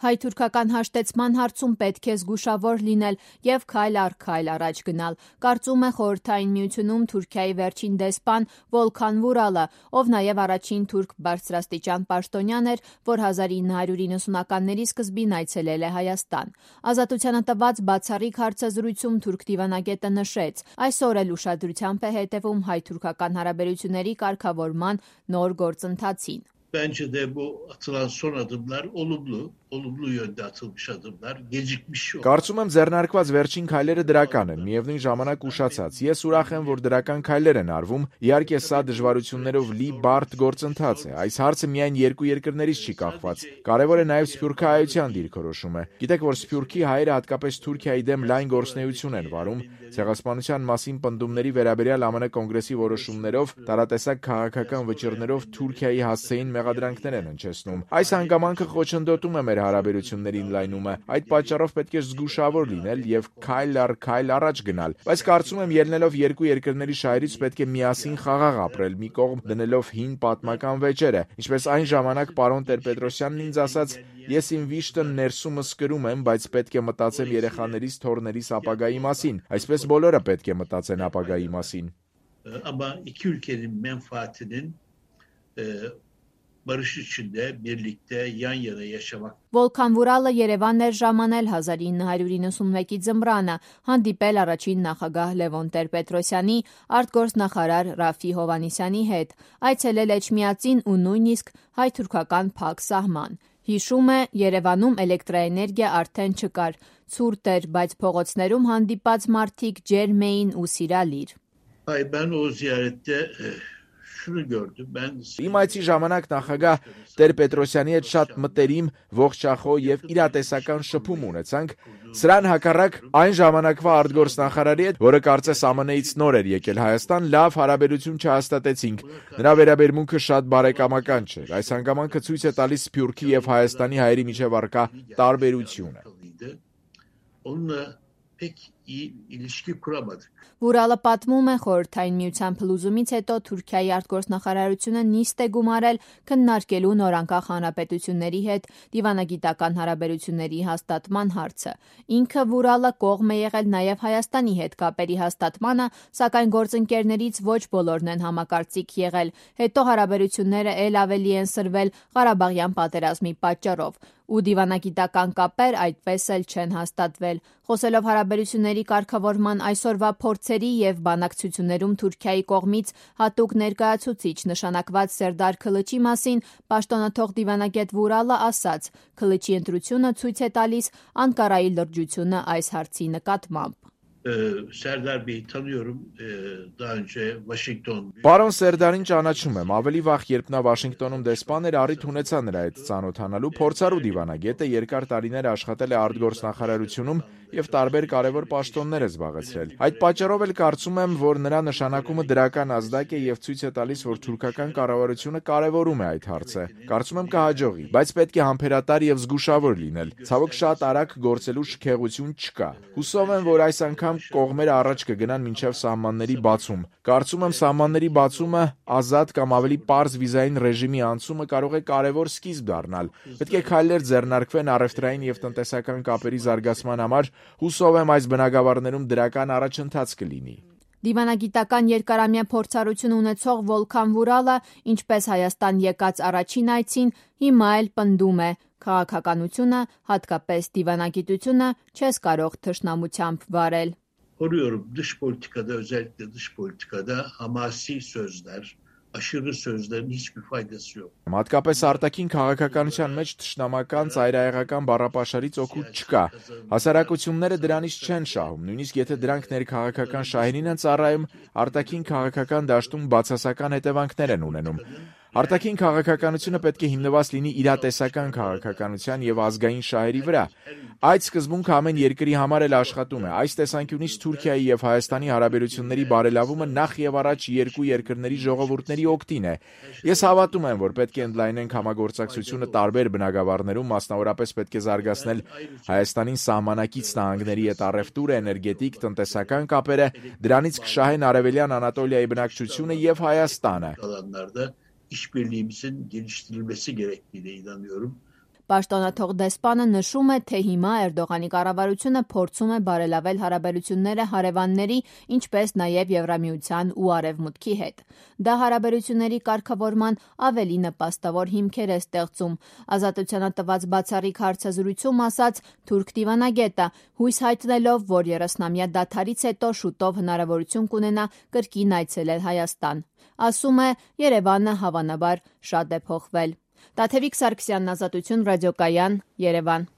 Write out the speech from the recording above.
Հայ-թուրքական հաշտեցման հարցում պետք է զգուշավոր լինել եւ քայլ առ քայլ առաջ գնալ, կարծում է Խորհրդային Միությունում Թուրքիայի վերջին դեսպան Վոլքան Վուրալը, ով նաեւ առաջին թուրք բարձրաստիճան պաշտոնյան էր, որ 1990-ականների սկզբին այցելել է Հայաստան։ Ազատությանը տված բացառիկ հարցազրույցում թուրք դիվանագետը նշեց. այսօր էլ ուշադրությամբ է հետևում հայ-թուրքական հարաբերությունների կարգավորման նոր գործընթացին։ Bence de bu atılan son adımlar olumlu yönde atılmış adımlar, gecikmiş yok. Կարծում եմ ձեռնարկված վերջին քայլերը դրական են, միևնույն ժամանակ ուշացած։ Ես ուրախ եմ, որ դրական քայլեր են արվում, իհարկե սա դժվարություններով լի բարդ գործընթաց է։ Այս հարցը միայն երկու երկրներից չի կախված։ Կարևոր է նաև սփյուռքահայության դիրքորոշումը։ Գիտեք, որ սփյուռքի հայերը հատկապես Թուրքիայի դեմ լայն գործունեություն են վարում, ցեղասպանության մասին պնդումների վերաբերյալ ԱՄՆ կոնգրեսի որոշումներով, տարատեսակ քաղաքական վճիռներով Թուրքիայի հասցեին մեղադրանքներ են հնչեցնում։ Այս հանգամանքը խոչընդոտում է մեր հարաբերությունների ընդլայնումը։ Այդ պատճառով պետք է զգուշավոր լինել եւ քայլ առ քայլ առաջ գնալ։ Բայց կարծում եմ, ելնելով երկու երկրների շահերից պետք է միասին խաղաղ ապրել, մի կողմ դնելով հին պատմական վեճերը։ Ինչպես այն ժամանակ պարոն Տեր-Պետրոսյանն ինձ ասաց, ես իմ վիշտը ներսումս կրում եմ, բայց պետք է մտածեմ երեխաներիս, թոռներիս ապագայի մասին։ Այսպես բոլորը պետք է մտածեն ապագայի մասին։ Ama iki ülkenin menfaatinin barış içinde birlikte yan yana yaşamak. Վոլքան Վուրալը Երևան էր ժամանել 1991-ի ձմռանը, հանդիպել առաջին նախագահ Լևոն Տեր-Պետրոսյանի, արտգործնախարար Ռաֆի Հովհաննիսյանի հետ, այցելել Էջմիածին ու նույնիսկ հայ-թուրքական փակ սահման։ Հիշում է, Երևանում էլեկտրաէներգիա արդեն չկար, ցուրտ էր, բայց փողոցներում հանդիպած մարդիկ ջերմ էին ու սիրալիր։ Ben o ziyarette şunu gördüm. Իմ այցի ժամանակ նախագահ Տեր-Պետրոսյանի հետ շատ մտերիմ, ողջախոհ եւ իրատեսական շփում ունեցանք։ Սրան հակառակ այն ժամանակվա արտգործնախարարի հետ, որը կարծես ԱՄՆ-ից նոր էր եկել Հայաստան, լավ հարաբերություն չհաստատեցինք։ Նրա վերաբերմունքը շատ բարեկամական չէր։ Այս հանգամանքը ցույց է տալիս Սփյուռքի եւ Հայաստանի հայերի միջև առկա տարբերությունը։ Onunla pek iyi ilişki kuramadık. Վուրալը պատմում է, Խորհրդային Միության փլուզումից հետո Թուրքիայի արտգործնախարարությունը նիստ է գումարել քննարկելու նորանկախ հանրապետությունների հետ դիվանագիտական հարաբերությունների հաստատման հարցը։ Ինքը Վուրալը կողմ է եղել նաև Հայաստանի հետ կապերի հաստատմանը, սակայն գործընկերներից ոչ բոլորն են համակարծիք եղել։ Հետո հարաբերությունները ել ավելի են սրվել Ղարաբաղյան պատերազմի պատճառով։ Ու դիվանագիտական կապեր այդպես էլ չեն հաստատվել։ Խոսելով հարաբերությունների կարգավորման այսօրվա փորձերի եւ բանակցություններում Թուրքիայի կողմից հատուկ ներկայացուցիչ նշանակված Սերդար Քլիչի մասին, պաշտոնաթող դիվանագետ Վուրալը ասաց. Քլիչի ընտրությունը ցույց է տալիս Անկարայի լրջությունը այս հարցի նկատմամբ։ Serdar Bey'i tanıyorum. Daha önce Washington. Պարոն Սերդարին ճանաչում եմ, ավելի վաղ, երբ նա Վաշինգտոնում դեսպան էր, առիթ ունեցա նրա հետ ծանոթանալու, փորձառու դիվանագետ է, երկար տարիներ աշխատել է արտգործնախարարությունում եւ տարբեր կարևոր պաշտոններ է զբաղեցրել։ Այդ պատճառով էլ կարծում եմ, որ նրա նշանակումը դրական ազդակ է եւ ցույց է տալիս, որ թուրքական կառավարությունը կարևորում է այդ հարցը։ Կարծում եմ կհաջողի, բայց պետք է համբերատար եւ զգուշավոր լինել։ Ցավոք շատ արագ գործելու շքեղություն չկա։ Հուսով եմ, որ այս անգամ կողմերը առաջ կգնան մինչև սահմանների բացում։ Կարծում եմ սահմանների բացումը ազատ կամ ավելի պարզ վիզային ռեժիմի անցումը կարող է կարևոր սկիզբ դառնալ։ Պետք է քայլեր ձեռնարկվեն առևտրային եւ տնտեսական կապերի զարգացման համար։ Հուսով եմ այս բնագավառներում դրական առաջընթաց կլինի։ Դիվանագիտական երկարամյա փորձառություն ունեցող Վոլքան Վուրալը, ինչպես Հայաստան եկած առաջին այցին, հիմա էլ պնդում է. քաղաքականությունը, հատկապես դիվանագիտությունը, չես կարող թշնամությամբ վարել։ Koruyorum dış politikada, özellikle dış politikada hamasi sözler, aşırı sözlerin hiçbir faydası yok. Հատկապես արտաքին քաղաքականության մեջ թշնամական ծայրահեղական բառապաշարից օգուտ չկա։ Հասարակությունները դրանից չեն շահում, նույնիսկ եթե դրանք ներքաղաքական շահերին են ծառայում, արտաքին քաղաքական դաշտում բացասական հետևանքներ են ունենում։ Արտաքին քաղաքականությունը պետք է հիմնված լինի իրատեսական քաղաքականության եւ ազգային շահերի վրա։ Այդ սկզբունքը ամեն երկրի համար էլ աշխատում է։ Այս տեսանկյունից Թուրքիայի եւ Հայաստանի հարաբերությունների բարելավումը նախ եւ առաջ երկու երկրների ժողովուրդների օգտին է։ Ես հավատում եմ, որ պետք է ընդլայնենք համագործակցությունը տարբեր բնագավառներում, մասնավորապես պետք է զարգացնել Հայաստանին սահմանակից նահանգների հետ առևտուրը, էներգետիկ, տնտեսական կապերը, դրանից կշահեն Արևելյան Անատոլիայի բնակչությունը եւ Հայաստանը։ İşbirliğimizin geliştirilmesi gerektiğine inanıyorum. Պաշտոնաթող դեսպանը նշում է, թե հիմա Էրդողանի կառավարությունը փորձում է բարելավել հարաբերությունները հարևանների, ինչպես նաև Եվրամիության ու Արևմուտքի հետ։ Դա հարաբերությունների կարգավորման ավելի նպաստավոր հիմքեր է ստեղծում, Ազատությանը տված բացառիկ հարցազրույցում ասաց թուրք դիվանագետը, հույս հայտնելով, որ 30-ամյա դադարից հետո շուտով հնարավորություն կունենա կրկին այցելել Հայաստան։ Ասում է, Երևանը հավանաբար շատ է փոխվել։ Տաթևիկ Սարգսյանն, Ազատություն ռադիոկայան, Երևան։